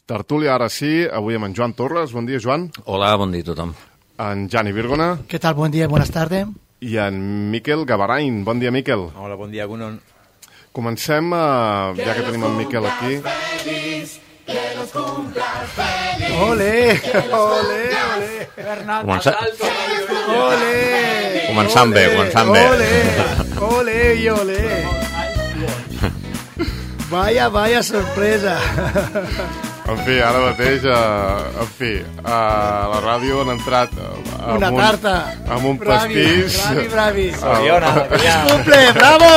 Tertúlia, ara sí, avui amb en Joan Torres. Bon dia, Joan. Hola, bon dia a tothom. En Jani Virgona. ¿Qué tal? Buen día, buenas tardes. I en Miquel Gavarain. Bon dia, Miquel. Hola, bon dia, Gunon. Comencem, ja que tenim en Miquel aquí. Ole, ole, ole. Ole. Començant bé, començant bé. Ole, ole i ole. Vaya sorpresa. En fi, ara mateix, a la ràdio han entrat una tarta amb un pastís. Bravi. ¡Feliz cumple, bravo!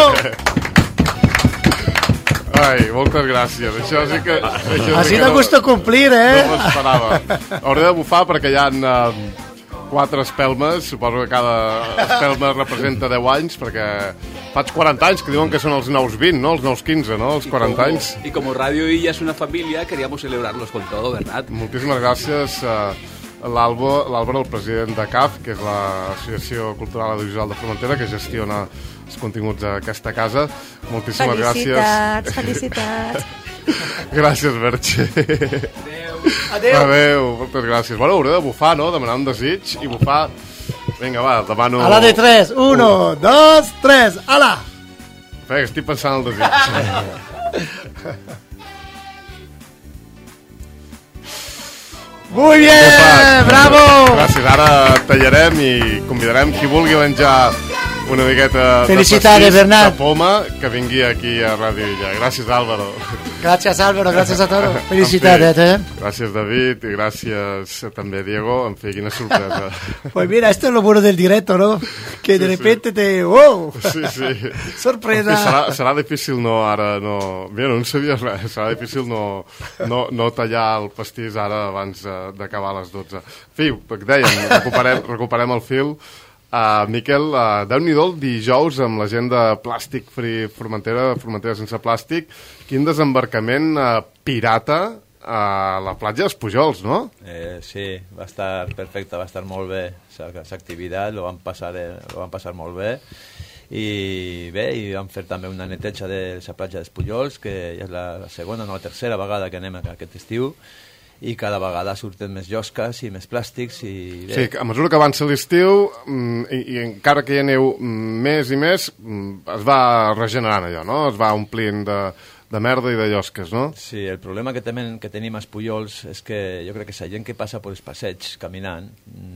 Ai, moltes gràcies. Això sí que... Así da gusto cumplir, No m'esperava. Hauré de bufar perquè hi ha 4 espelmes. Suposo que cada espelma representa 10 anys, perquè faig 40 anys, que diuen que són els nous 20, no? Els nous 15, no? Els 40 anys. Y como Radio Illa es una familia, queríamos celebrarlos con todo, ¿verdad? Moltíssimes gràcies a l'Àlvaro, el president de CAF, que és l'Associació Cultural Audiovisual de Formentera, que gestiona els continguts d'aquesta casa. Moltíssimes gràcies. Felicitats. Gràcies, Merche. Adéu, moltes gràcies. Bueno, hauré de bufar, no? Demanar un desig i bufar. Vinga, va, demano... A la de 3, 1, 2, 3, ala! Espera, estic pensant en el desig. Muy bien, bravo! Gràcies, ara tallarem i convidarem qui vulgui menjar una miqueta Felicidades, Bernat. de poma, que vingui aquí a Ràdio Illa. Gràcies, Álvaro. Gracias, Álvaro, gracias a todos. Felicidades, Gràcies, David, i gràcies també, Diego. En fi, quina sorpresa. Pues mira, esto es lo bueno del directo, ¿no? Que de repente te... ¡Wow! Sí. Sorpresa. Serà difícil Mira, no en sabia res. Serà difícil no tallar el pastís ara abans d'acabar a les 12. En fi, que dèiem, recuperem el fil. Miquel, Déu-n'hi-do el dijous amb la gent de Plàstic Free Formentera, Formentera sense plàstic. Quin desembarcament pirata a la platja dels Pujols, no? Sí, va estar perfecte, va estar molt bé esa activitat, lo van passar molt bé. I bé, i vam fer també una neteja de la platja dels Pujols, que ja és la segona o la tercera vegada que anem aquest estiu, i cada vegada surten més llosques i més plàstics i bé. Sí, a mesura que avança l'estiu i encara que hi aneu més i més es va regenerant allò, no? Es va omplint de merda i de llosques, no? Sí, el problema que tenim als Pujols és que jo crec que la gent que passa per els passeigs caminant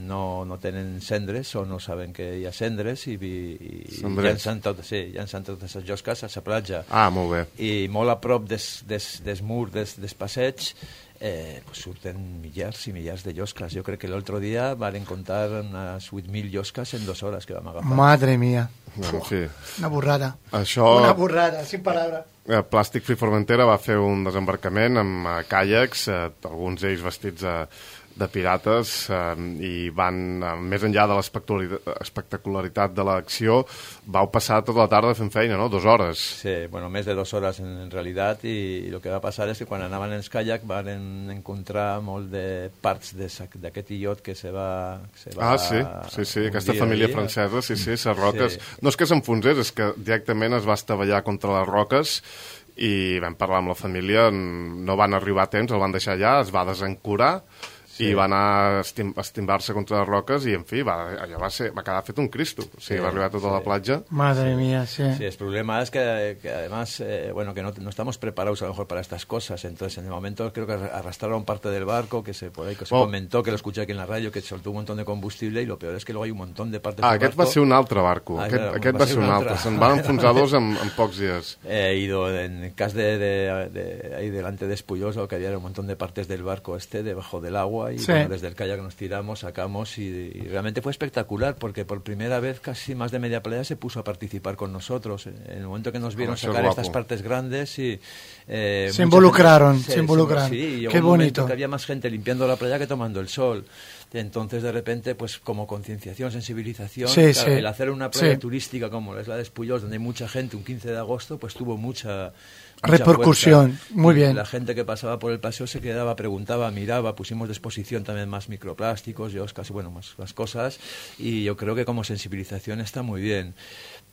no tenen cendres o no saben que hi ha cendres i llancen totes les llosques a la platja. Ah, molt bé. I molt a prop des murs dels passeigs pues surten millars i millars de llosques. Jo crec que l'altre dia van comptar unes 8.000 llosques en 2 hores que vam agafar. Madre mía. Bueno, sí. Una burrada. Una burrada, sin palabra. Plàstic Free Formentera va fer un desembarcament amb caiacs, alguns d'ells vestits de pirates, i van, més enllà de l'espectacularitat de l'acció, vau passar tota la tarda fent feina, no? 2 hores. Sí, bueno, més de 2 hores en realitat, i el que va passar és que quan anaven en els caiacs van encontrar molt de parts d'aquest illot que se va sí, aquesta família francesa, sí, les roques. Sí. No és que s'enfonsés, és que directament es va estavellar contra les roques i vam parlar amb la família, no van arribar a temps, el van deixar allà, es va desencurar, i va anar a estimbar-se contra les roques i, en fi, allò va quedar fet un Cristo. O sigui, va arribar tota la platja. Madre mía, sí. Sí, el problema es que además, que no estamos preparados a lo mejor para estas cosas. Entonces, en el momento creo que arrastraron parte del barco, que se comentó, que lo escuché aquí en la radio, que soltó un montón de combustible, y lo peor es que luego hay un montón de partes del barco. Aquest va ser un altre barco. Aquest va ser un altre. Se'n van enfonsar 2 en pocs dies. En el cas de ahí delante de Espullosa, que había un montón de partes del barco debajo del agua, y bueno, desde el kayak nos tiramos, sacamos, y realmente fue espectacular, porque por primera vez casi más de media playa se puso a participar con nosotros. En el momento que nos vieron sacar estas partes grandes y se involucraron. Sí, qué bonito. Que había más gente limpiando la playa que tomando el sol. Entonces, de repente, pues como concienciación, sensibilización, el hacer una playa turística como es la de Espullos, donde hay mucha gente, un 15 de agosto, pues tuvo mucha repercusión. Fuerza. Muy bien. La gente que pasaba por el paseo se quedaba, preguntaba, miraba, pusimos de exposición también más microplásticos, más cosas, y yo creo que como sensibilización está muy bien.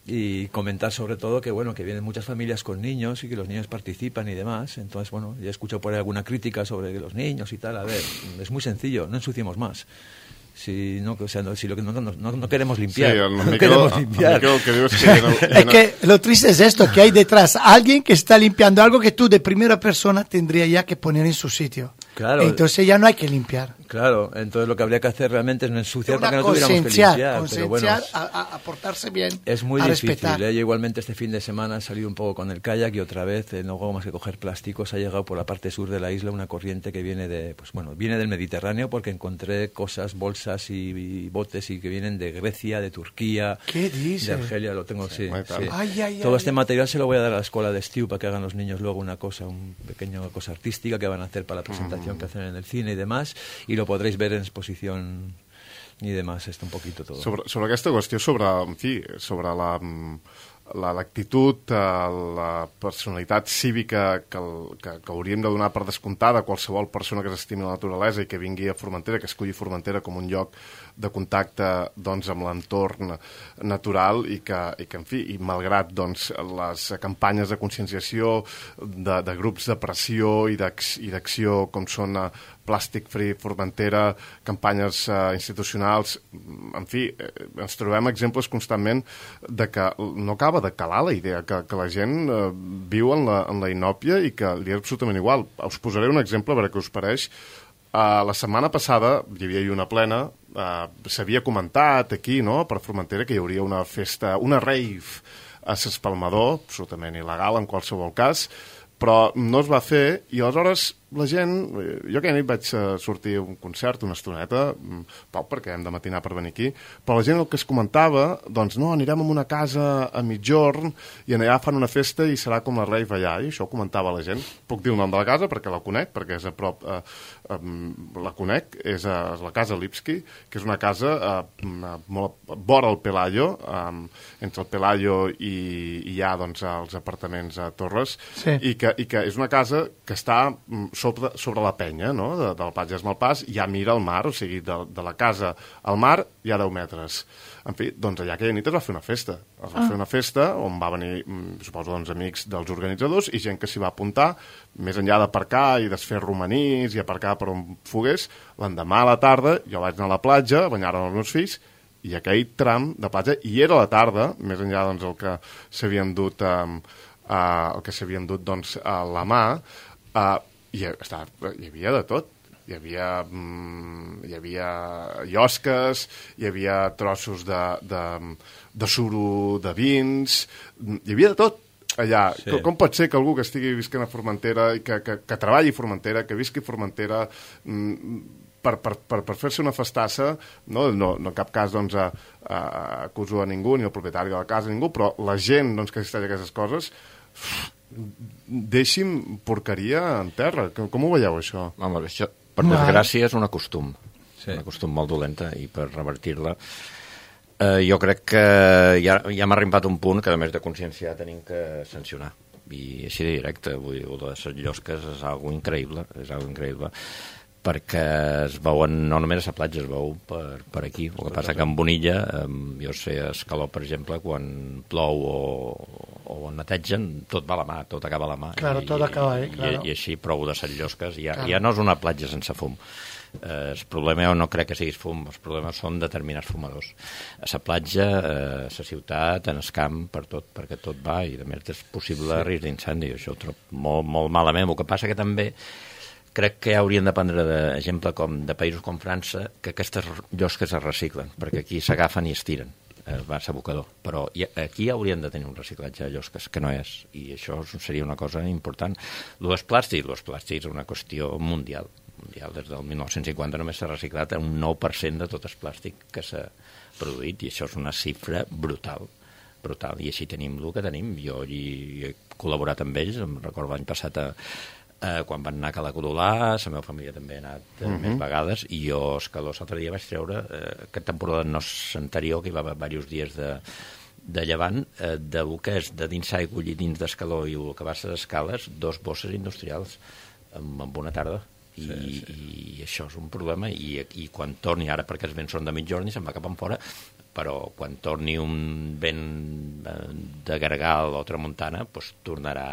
y comentar sobre todo que bueno, que vienen muchas familias con niños y que los niños participan y demás. Entonces, bueno, ya escucho por ahí alguna crítica sobre los niños y tal. A ver, es muy sencillo, no ensuciemos más. Si no, o sea, si lo que no queremos limpiar, no queremos limpiar. Es que lo triste es esto, que hay detrás alguien que está limpiando algo que tú de primera persona tendrías ya que poner en su sitio. Claro. Entonces ya no hay que limpiar. Claro, entonces lo que habría que hacer realmente es no ensuciar para que no tuviéramos que limpiar. Pero bueno, a portarse bien, es muy a difícil. respetar. Yo igualmente este fin de semana he salido un poco con el kayak y otra vez no hago más que coger plásticos. Ha llegado por la parte sur de la isla una corriente que viene viene del Mediterráneo, porque encontré cosas, bolsas y botes y que vienen de Grecia, de Turquía, ¿qué dices? de Argelia, lo tengo, sí. Todo este material se lo voy a dar a la escuela de Estiu para que hagan los niños luego una pequeña cosa artística que van a hacer para la presentación que hacen en el cine y demás, y lo podréis ver en exposición i demás, un poquito todo. Sobre aquesta qüestió, sobre l'actitud, la personalitat cívica que hauríem de donar per descomptada a qualsevol persona que s'estimi la naturalesa i que vingui a Formentera, que escolli Formentera com un lloc de contacte doncs, amb l'entorn natural i que, en fi, i malgrat doncs, les campanyes de conscienciació de grups de pressió i d'acció com són Plàstic Free Formentera, campanyes institucionals, en fi, ens trobem exemples constantment de que no acaba de calar la idea, que la gent viu en la inòpia i que li és absolutament igual. Us posaré un exemple, a veure què us pareix. La setmana passada hi havia una plena, s'havia comentat aquí, no?, per Formentera, que hi hauria una festa, una rave a s'Espalmador, absolutament il·legal en qualsevol cas, però no es va fer i aleshores la gent, jo aquella nit vaig sortir a un concert una estoneta, poc perquè hem de matinar per venir aquí, però la gent el que es comentava, doncs no, anirem a una casa a mitjorn i allà fan una festa i serà com la rave allà, i això ho comentava la gent. Puc dir el nom de la casa perquè la conec, perquè és a prop, la conec, és la casa Lipski, que és una casa molt vora el Pelayo, entre el Pelayo i hi ha doncs, els apartaments a Torres, i que és una casa que està sobre la penya, no?, del Platja d'Esmalpàs, ja mira el mar, o sigui, de la casa al mar hi ha 10 metres. En fi, doncs allà aquella nit es va fer una festa. Es va fer una festa on va venir, suposo, doncs, amics dels organitzadors i gent que s'hi va apuntar, més enllà d'aparcar i desfer romanís i aparcar per on fogués. L'endemà a la tarda jo vaig anar a la platja, a banyar-me els meus fills, i aquell tram de platja, i era la tarda, més enllà doncs, el que s'havien dut doncs, a la mà, hi havia de tot. Hi havia llosques, hi havia trossos de suro de vins, hi havia de tot allà. Sí. Com pot ser que algú que estigui visquent a Formentera, que treballi a Formentera, que visqui a Formentera, per fer-se una festassa, no en cap cas doncs, acuso a ningú, ni el propietari de la casa, ningú, però la gent doncs, que assisteix a aquestes coses, deixi'm porqueria en terra. Com ho veieu, això? Home, això, per desgràcia, és un costum. Sí. Un costum molt dolenta, i per revertir-la jo crec que ja m'ha arribat un punt que, a més de conscienciar, tenim que sancionar. I així de directe, vull dir, de les llosques és algo increïble, perquè es veuen, no només a la platja, es veu per aquí. El que passa que en Bonilla, jo sé, a Escaló, per exemple, quan plou o netegen, tot va a la mà, tot acaba a la mà. Claro, tot acaba ahí, claro. I així prou de set llosques. Ja no és una platja sense fum. El problema no crec que siguis fum, els problemes són determinats fumadors. A la platja, a la ciutat, en el camp, per tot, perquè tot va, i a més és possible risc d'incendi. Això ho trobo molt, molt malament. El que passa que també crec que haurien de prendre d'exemple de països com França, que aquestes llosques es reciclen, perquè aquí s'agafen i es tiren, va a abocador. Però aquí haurien de tenir un reciclatge de llosques, que no és, i això seria una cosa important. Els plàstics és una qüestió mundial. Des del 1950 només s'ha reciclat un 9% de tot el plàstic que s'ha produït, i això és una xifra brutal. I així tenim el que tenim. Jo hi he col·laborat amb ells, em recordo l'any passat quan van anar a Cala Codolà, la meva família també ha anat més vegades, i jo a Escaló l'altre dia vaig treure, aquesta temporada no és anterior, que hi va haver diversos dies de llevant, del que és de dins aigua i dins d'Escaló i el que va ser d'escales, 2 bosses industrials en una tarda. I això és un problema, i quan torni ara, perquè els vents són de mitjorn i se'n va cap en fora, però quan torni un vent de Gargal o tramuntana, doncs tornarà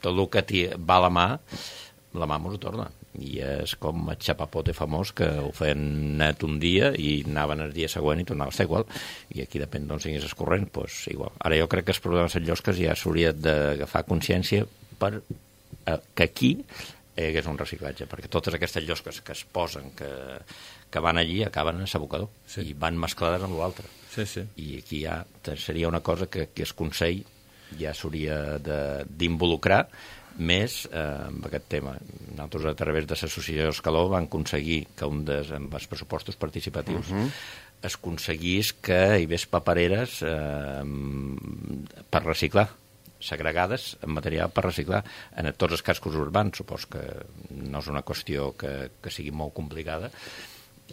tot el que va a la mà m'ho torna. I és com el xapapote famós, que ho feien net un dia i anaven el dia següent i tornava a estar igual. I aquí depèn d'on siguis escorrent, doncs igual. Ara jo crec que els problemes de llosques ja s'hauria d'agafar consciència per que aquí hi hagués un reciclatge, perquè totes aquestes llosques que es posen, que van allí, acaben en l'abocador, i van mesclades amb l'altre. I aquí ja seria una cosa que el Consell ja s'hauria d'involucrar més amb aquest tema. Nosaltres, a través de l'associació Escaló, vam aconseguir que amb els pressupostos participatius es aconseguís que hi hagués papereres per reciclar, segregades en material per reciclar en tots els cascos urbans. Supos que no és una qüestió que sigui molt complicada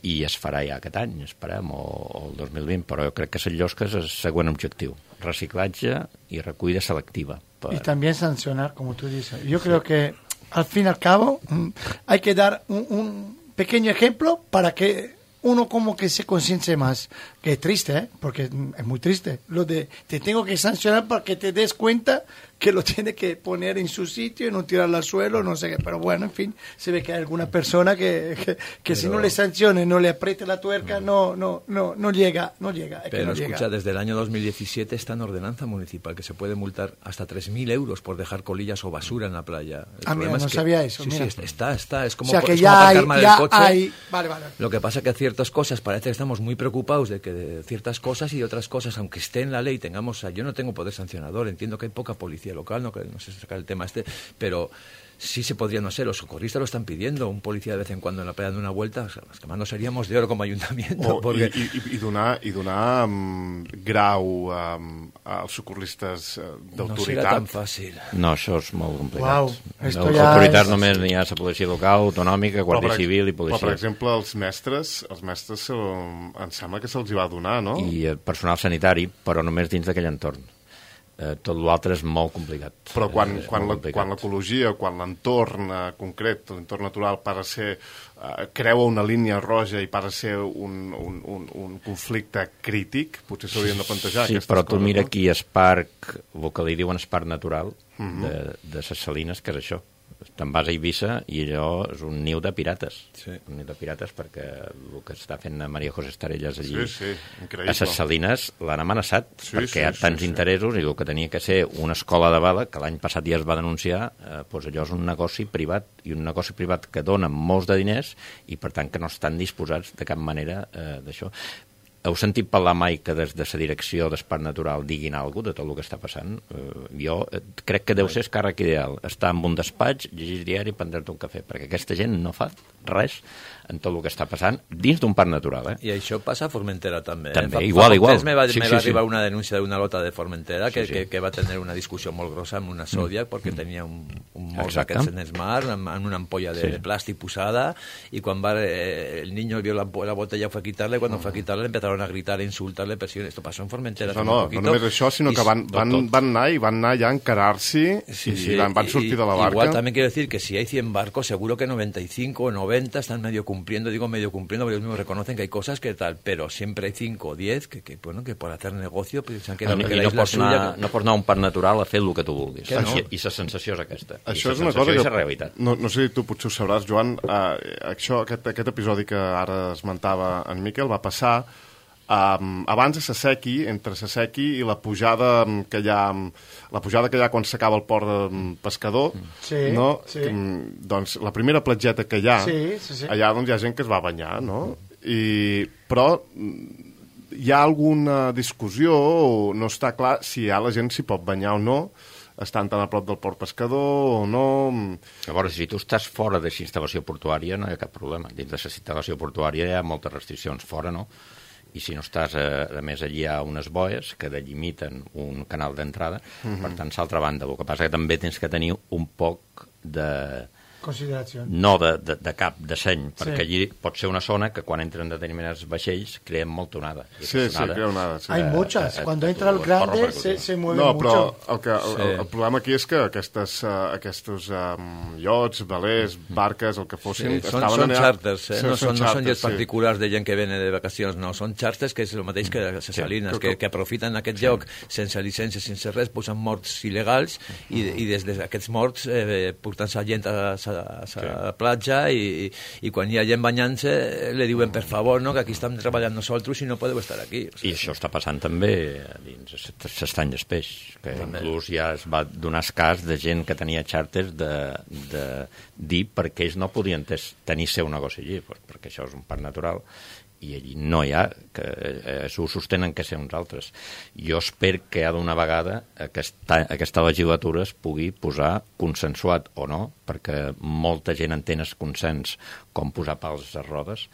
i es farà ja aquest any, esperem, o el 2020, però jo crec que les llosques és el següent objectiu: reciclatge i recollida selectiva. Y también sancionar, como tú dices. Yo creo que al fin y al cabo hay que dar un pequeño ejemplo para que uno como que se conciencie más. Que es triste, porque es muy triste. Lo de te tengo que sancionar para que te des cuenta que lo tiene que poner en su sitio y no tirarlo al suelo, no sé qué. Pero bueno, en fin, se ve que hay alguna persona que si no le sancione, no le apriete la tuerca, no llega. Pero escucha, desde el año 2017 está en ordenanza municipal que se puede multar hasta 3.000 euros por dejar colillas o basura en la playa. Mira, no sabía eso. Sí, mira. Sí, está. Es como, o sea, que es ya como hay, aparcar mal el coche. Vale. Lo que pasa que ciertas cosas, parece que estamos muy preocupados de ciertas cosas, y otras cosas, aunque esté en la ley, yo no tengo poder sancionador, entiendo que hay poca policía local, no sé sacar el tema pero sí se podría, no sé, los socorristas lo están pidiendo, un policía de vez en cuando en la playa dando una vuelta, o sea, los que más nos seríamos de oro como ayuntamiento. Porque... I donar grau als socorristes d'autoritat. No serà tan fàcil. No, això és molt complicat. Autoritat només n'hi ha la policia local, autonòmica, guàrdia civil i policia. Però, per exemple, els mestres em sembla que se'ls hi va donar, no? I el personal sanitari, però només dins d'aquell entorn. Tot l'altre és molt complicat. Però quan l'ecologia, quan l'entorn concret, l'entorn natural, creua una línia roja i para ser un conflicte crític, potser s'haurien de plantejar aquestes coses. Sí, però tu mira aquí el parc, el que li diuen el parc natural de ses Salines, que és això. Te'n vas a Eivissa i allò és un niu de pirates. Sí. Un niu de pirates, perquè el que està fent Maria José Estarellas allí increïble. a ses Salines l'han amenaçat, perquè hi ha tants interessos, i el que tenia que ser una escola de bala, que l'any passat ja es va denunciar, doncs allò és un negoci privat, i un negoci privat que dona molts de diners i per tant que no estan disposats de cap manera d'això. Heu sentit parlar mai que des de la direcció d'Esparc Natural diguin alguna cosa de tot el que està passant? Jo crec que deu ser el càrrec ideal. Estar en un despatx, llegir diari i prendre-te un cafè, perquè aquesta gent no fa res en tot el que està passant dins d'un parc natural. I això passa a Formentera també. També, igual. Me va arribar una denúncia d'una lota de Formentera que va tenir una discussió molt grossa amb una Zodiac perquè tenia un mos d'aquests en el mar, amb una ampolla de plàstic posada, i quan el niño vio la botella fue a quitarle, cuando fue a quitarle empezaron a gritar, a insultarle, esto pasó en Formentera. No només això, sinó que van anar ja a encarar-s'hi i van sortir de la barca. Igual también quiero decir que si hay 100 barcos, seguro que 95 o 90 están medio cumpliendo, porque ellos mismos reconocen que hay cosas que tal, pero siempre hay 5 o 10 que por hacer negocio piensan que la isla suya... No pots anar a un parc natural a fer el que tu vulguis. I la sensació és aquesta. Això és una cosa que... No sé si tu potser ho sabràs, Joan, aquest episodi que ara esmentava en Miquel va passar abans de Sasequi, entre Sasequi i la pujada que hi ha quan s'acaba el port de Pescador, no? Doncs la primera platgeta que hi ha, allà doncs hi ha gent que es va banyar, no? Però hi ha alguna discussió, o no està clar si la gent s'hi pot banyar o no, estan tan a prop del port Pescador o no... A veure, si tu estàs fora de la instal·lació portuària no hi ha cap problema. Dins de la instal·lació portuària hi ha moltes restriccions, fora no. I si no estàs, a més, allí hi ha unes boies que delimiten un canal d'entrada, per tant, l'altra banda. El que passa que també tens que tenir un poc de consideració. No de cap de seny, perquè allí pot ser una zona que quan entren determinats vaixells creen molta onada. Sí, crea onada. Sí. Hay muchas. Cuando entra el grande se mueve mucho. El problema aquí és que aquests iots, velers, barques, el que fossin... Són xàrters, no són llets particulars de gent que vene de vacacions, no. Són xàrters que és el mateix que les salines, que aprofiten aquest lloc sense llicència, sense res, posen morts il·legals i des d'aquests morts portant-se gent a la platja i quan hi ha gent banyant-se li diuen per favor, no, que aquí estem treballant nosaltres i no podeu estar aquí. I això està passant també dins s'estany d'espeix, que inclús ja es va donar cas de gent que tenia xàrters de dir perquè ells no podien tenir seu negoci allí, perquè això és un parc natural i allí no hi ha, que s'ho sostenen que ser uns altres. Jo espero que d'una vegada aquesta legislatura es pugui posar consensuat o no, perquè molta gent entén el consens com posar pals a rodes,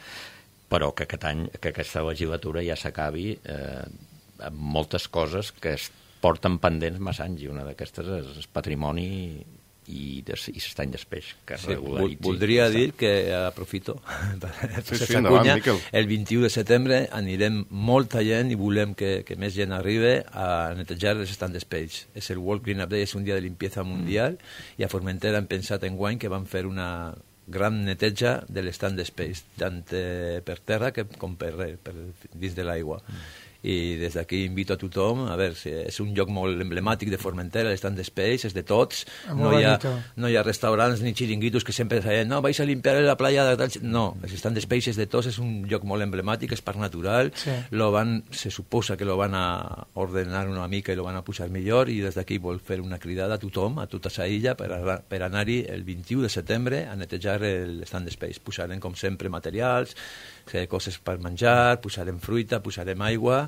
però que aquest any, que aquesta legislatura ja s'acabi amb moltes coses que es porten pendents massa anys, i una d'aquestes és el patrimoni i s'estany d'espeix que regularitzi. Voldria dir que aprofito el 21 de setembre anirem molta gent i volem que més gent arribi a netejar els estanys d'espeix. És el World Cleanup Day, és un dia de limpieza mundial i a Formentera hem pensat enguany que van fer una gran neteja de l'estand d'espeix, tant per terra com per dins de l'aigua. I des d'aquí invito a tothom, a veure, és un lloc molt emblemàtic de Formentera, l'estand d'espeix, és de tots, no hi ha restaurants ni xiringuitos que sempre deien, no, vais a limpiar la playa de tal... No, l'estand d'espeix és de tots, és un lloc molt emblemàtic, és parc natural, se suposa que lo van a ordenar una mica i lo van a posar millor, i des d'aquí vol fer una cridada a tothom, a tota sa illa, per anar-hi el 21 de setembre a netejar l'estand d'espeix. Posarem, com sempre, materials, coses per menjar, posarem fruita, posarem aigua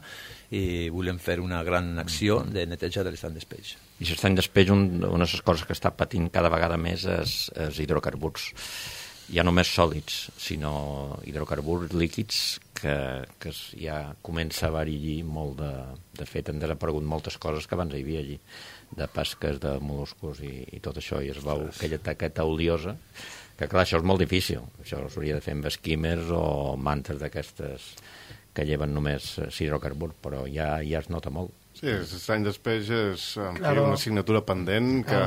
i volem fer una gran acció de neteja de l'estand d'espeix. I l'estany d'espeix, una de les coses que està patint cada vegada més és hidrocarburs. Ja no més sòlids, sinó hidrocarburs líquids que ja comença a haver-hi allí molt de fet, han desaparegut moltes coses que abans hi havia allí, de pesques, de mol·luscos i tot això, i es veu aquella taqueta oliosa, que clar, això és molt difícil, això s'hauria de fer amb esquímers o mantes d'aquestes que lleven només hidrocarburs, però ja es nota molt. Sí, l'estany d'espeix és una assignatura pendent que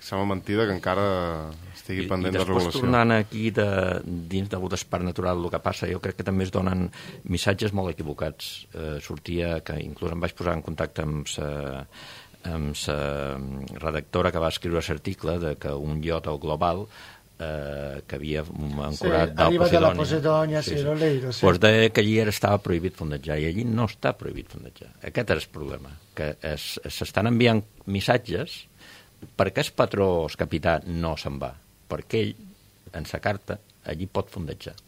sembla mentida que encara estigui pendent de regulació. I després tornant aquí dins del parc natural, el que passa, jo crec que també es donen missatges molt equivocats. Sortia que inclús em vaig posar en contacte amb la redactora que va escriure l'article de que un iot al global que havia ancorat del Posidònia. Pues deia que allí estava prohibit fondejar, i allí no està prohibit fondejar. Aquest és el problema, que s'estan enviant missatges perquè el patró, el capità, no se'n va, perquè ell, en sa carta, allí pot fondejar.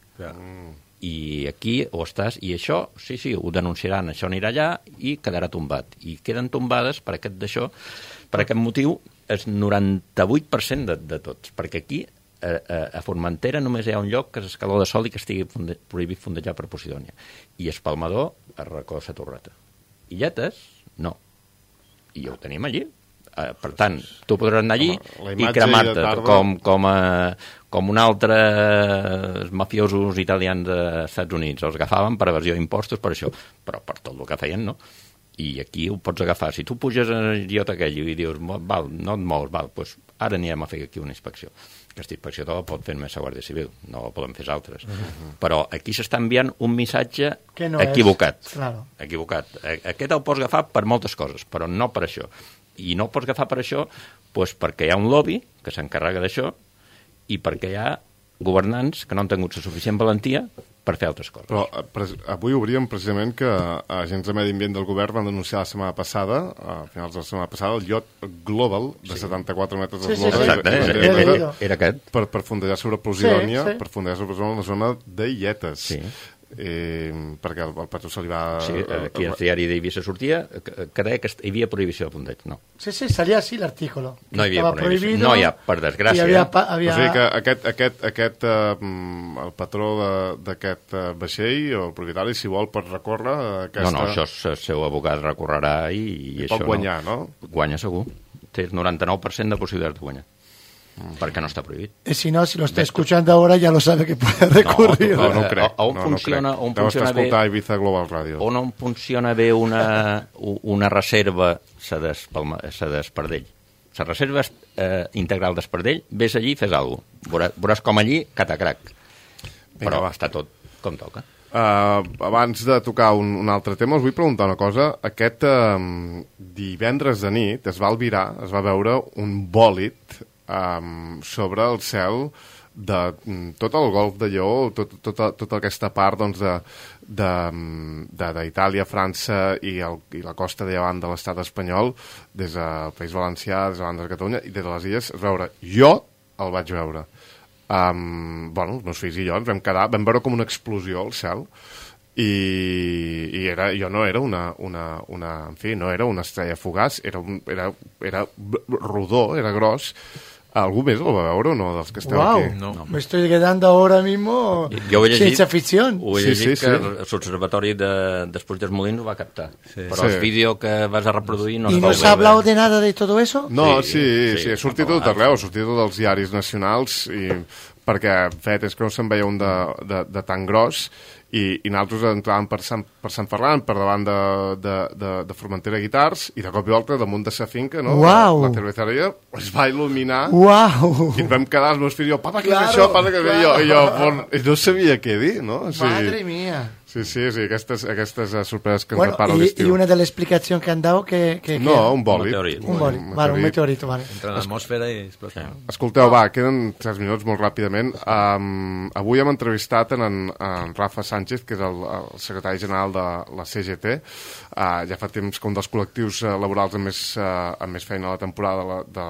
I aquí ho estàs, i això, sí, ho denunciaran, això anirà allà i quedarà tombat. I queden tombades per aquest motiu, el 98% de tots, perquè aquí a Formentera només hi ha un lloc que és Escaló de Sol i que estigui prohibit fondejar per Posidònia, i Espalmador a Racó de la Torreta. I Lletes, no. I ho tenim allí. Per tant, tu podràs anar allí i cremar-te com un altre mafiosos italians dels Estats Units. Els agafaven per evasió d'impostos, per això, però per tot el que feien, no? I aquí ho pots agafar. Si tu puges al idiot aquell i dius, val, no et mous, val, doncs ara anirem a fer aquí una inspecció. Aquesta inspecció la pot fer només la Guàrdia Civil, no la poden fer els altres. Però aquí s'està enviant un missatge equivocat. Equivocat. Aquest el pots agafar per moltes coses, però no per això. I no el pots agafar per això perquè hi ha un lobby que s'encarrega d'això i perquè hi ha governants que no han tingut la suficient valentia per fer altres coses. Però avui obríem precisament que agents de Medi Ambient del govern van denunciar la setmana passada, a finals de la setmana passada, el iot global de 74 metres d'eslora. Era aquest. Per fondejar sobre Posidònia, per fondejar sobre la zona de Lletes. Sí. Perquè el patró se li va... Sí, aquí al diari d'Eivissa sortia que deia que hi havia prohibició de fondeig, no. Sí, salía así l'artículo. No hi havia prohibició. No hi ha, per desgràcia. O sigui que el patró d'aquest vaixell, o el propietari, si vol, pot recórrer aquesta... No, això el seu abogat recorrerà i això pot guanyar, no? Guanya segur. Té el 99% de possibilitats de guanyar. perquè no està prohibit. Y si no, si lo está escuchando ahora, ya lo sabe que puede recurrir. No crec. On funciona, no crec. on Deu estar funciona bé, escoltant Ibiza Global Radio. on funciona bé una reserva d'Espardell. La reserva integral d'Espardell, vés allí i fes alguna cosa. Veuràs com allí, catacrac. Però està tot com toca. Abans de tocar un altre tema, us vull preguntar una cosa. Aquest divendres de nit es va albirar, es va veure un bòlit sobre el cel de tot el golf de Lleó, tota aquesta part doncs, d'Itàlia, França i la costa de llevant de l'estat espanyol, des del País Valencià, des de Catalunya i des de les illes, es veure. Jo el vaig veure. Els meus fills i jo ens vam quedar, vam veure com una explosió al cel i jo no era no era una estrella fugaç, era rodó, era gros. ¿Algú més el va veure o no, dels que esteu aquí? No. Me estoy quedando ahora mismo ciencia ficción. Ho he llegit que l'Observatori d'Espluix dels Molins ho va captar. Però el vídeo que vas a reproduir no ¿Y no se ha hablado de nada de todo eso? No, sí, ha sortit tot arreu, ha sortit tot dels diaris nacionals, perquè fet és que no se'n veia un de tan gros, i nosaltres entràvem per Sant Ferran, per davant de Formentera Guitars, i de cop i volta damunt de sa finca, no? Uau! La cerveceria es va il·luminar. Uau! I ens vam quedar els meus fills, jo, papa, què és això? Papa, què és això? I jo no sabia què dir, no? Madre mía. Sí, aquestes sorpreses que ens depara l'estiu. Y una de la explicación que han dado que no, un bòlit. Un meteorito, vale. Entra en l'atmosfera i explota. Escolteu, queden 3 minuts molt ràpidament. Avui hem entrevistat en Rafa Sánchez, que és el secretari general de la CGT. Ja fa temps que un dels col·lectius laborals amb més feina a la temporada de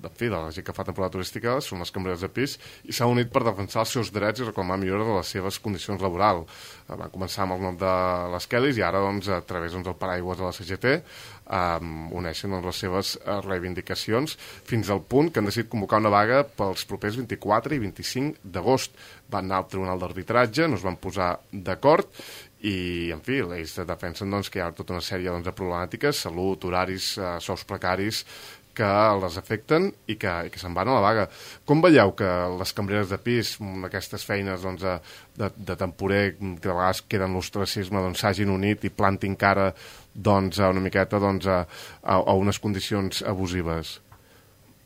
la gent que fa temporada turística són les cambreres de pis, i s'ha unit per defensar els seus drets i reclamar millora de les seves condicions laborals. Van començar amb el nom de les Kellys i ara, a través del paraigües de la CGT, uneixen les seves reivindicacions fins al punt que han decidit convocar una vaga pels propers 24 i 25 d'agost. Van anar al Tribunal d'Arbitratge, no es van posar d'acord, i, en fi, ells defensen que hi ha tota una sèrie de problemàtiques, salut, horaris, sous precaris, que les afecten i que se'n van a la vaga. Com veieu que les cambreres de pis, aquestes feines de temporer, que de vegades queden l'ostracisme, s'hagin unit i plantin cara una miqueta a unes condicions abusives?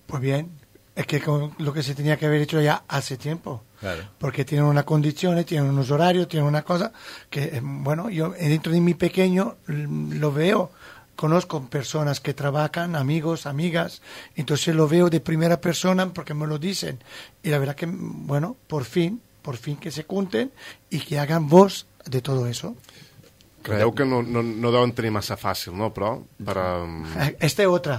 Pues bien, es que lo que se tenía que haber hecho ya hace tiempo. Claro. Porque tienen unas condiciones, tienen unos horarios, tienen una cosa que, bueno, yo dentro de mi pequeño lo veo. Conozco personas que trabajan, amigos, amigas, entonces lo veo de primera persona porque me lo dicen. Y la verdad que, bueno, por fin que se junten y que hagan voz de todo eso. Creieu que no deuen tenir massa fàcil, no? Però Esta és otra.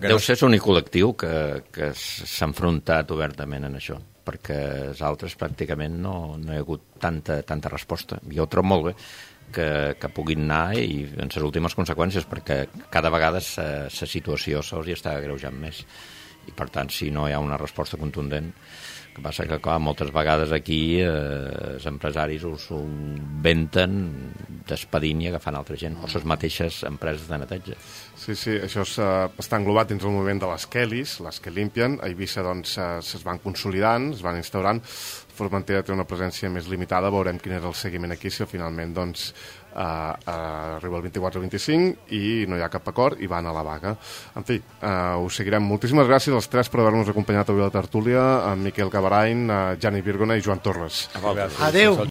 Deu ser l'únic col·lectiu que s'ha enfrontat obertament en això, perquè els altres pràcticament no hi ha hagut tanta resposta. Jo ho trobo molt bé que puguin anar i en les últimes conseqüències, perquè cada vegada la situació se'ls està agreujant més, i per tant si no hi ha una resposta contundent, que passa que clar, moltes vegades aquí els empresaris us ho inventen despedint i agafant altra gent, o les mateixes empreses de neteja. Sí, això està englobat dins el moviment de les Kellys, les que limpien. A Eivissa es van consolidant, es van instaurant. Formentera té una presència més limitada, veurem quin és el seguiment aquí, si finalment arriba el 24 o 25 i no hi ha cap acord i van a la vaga. En fi, ho seguirem. Moltíssimes gràcies als tres per haver-nos acompanyat avui a la tertúlia, a Miquel Cabarain, a Jani Virgona i Joan Torres. Adéu.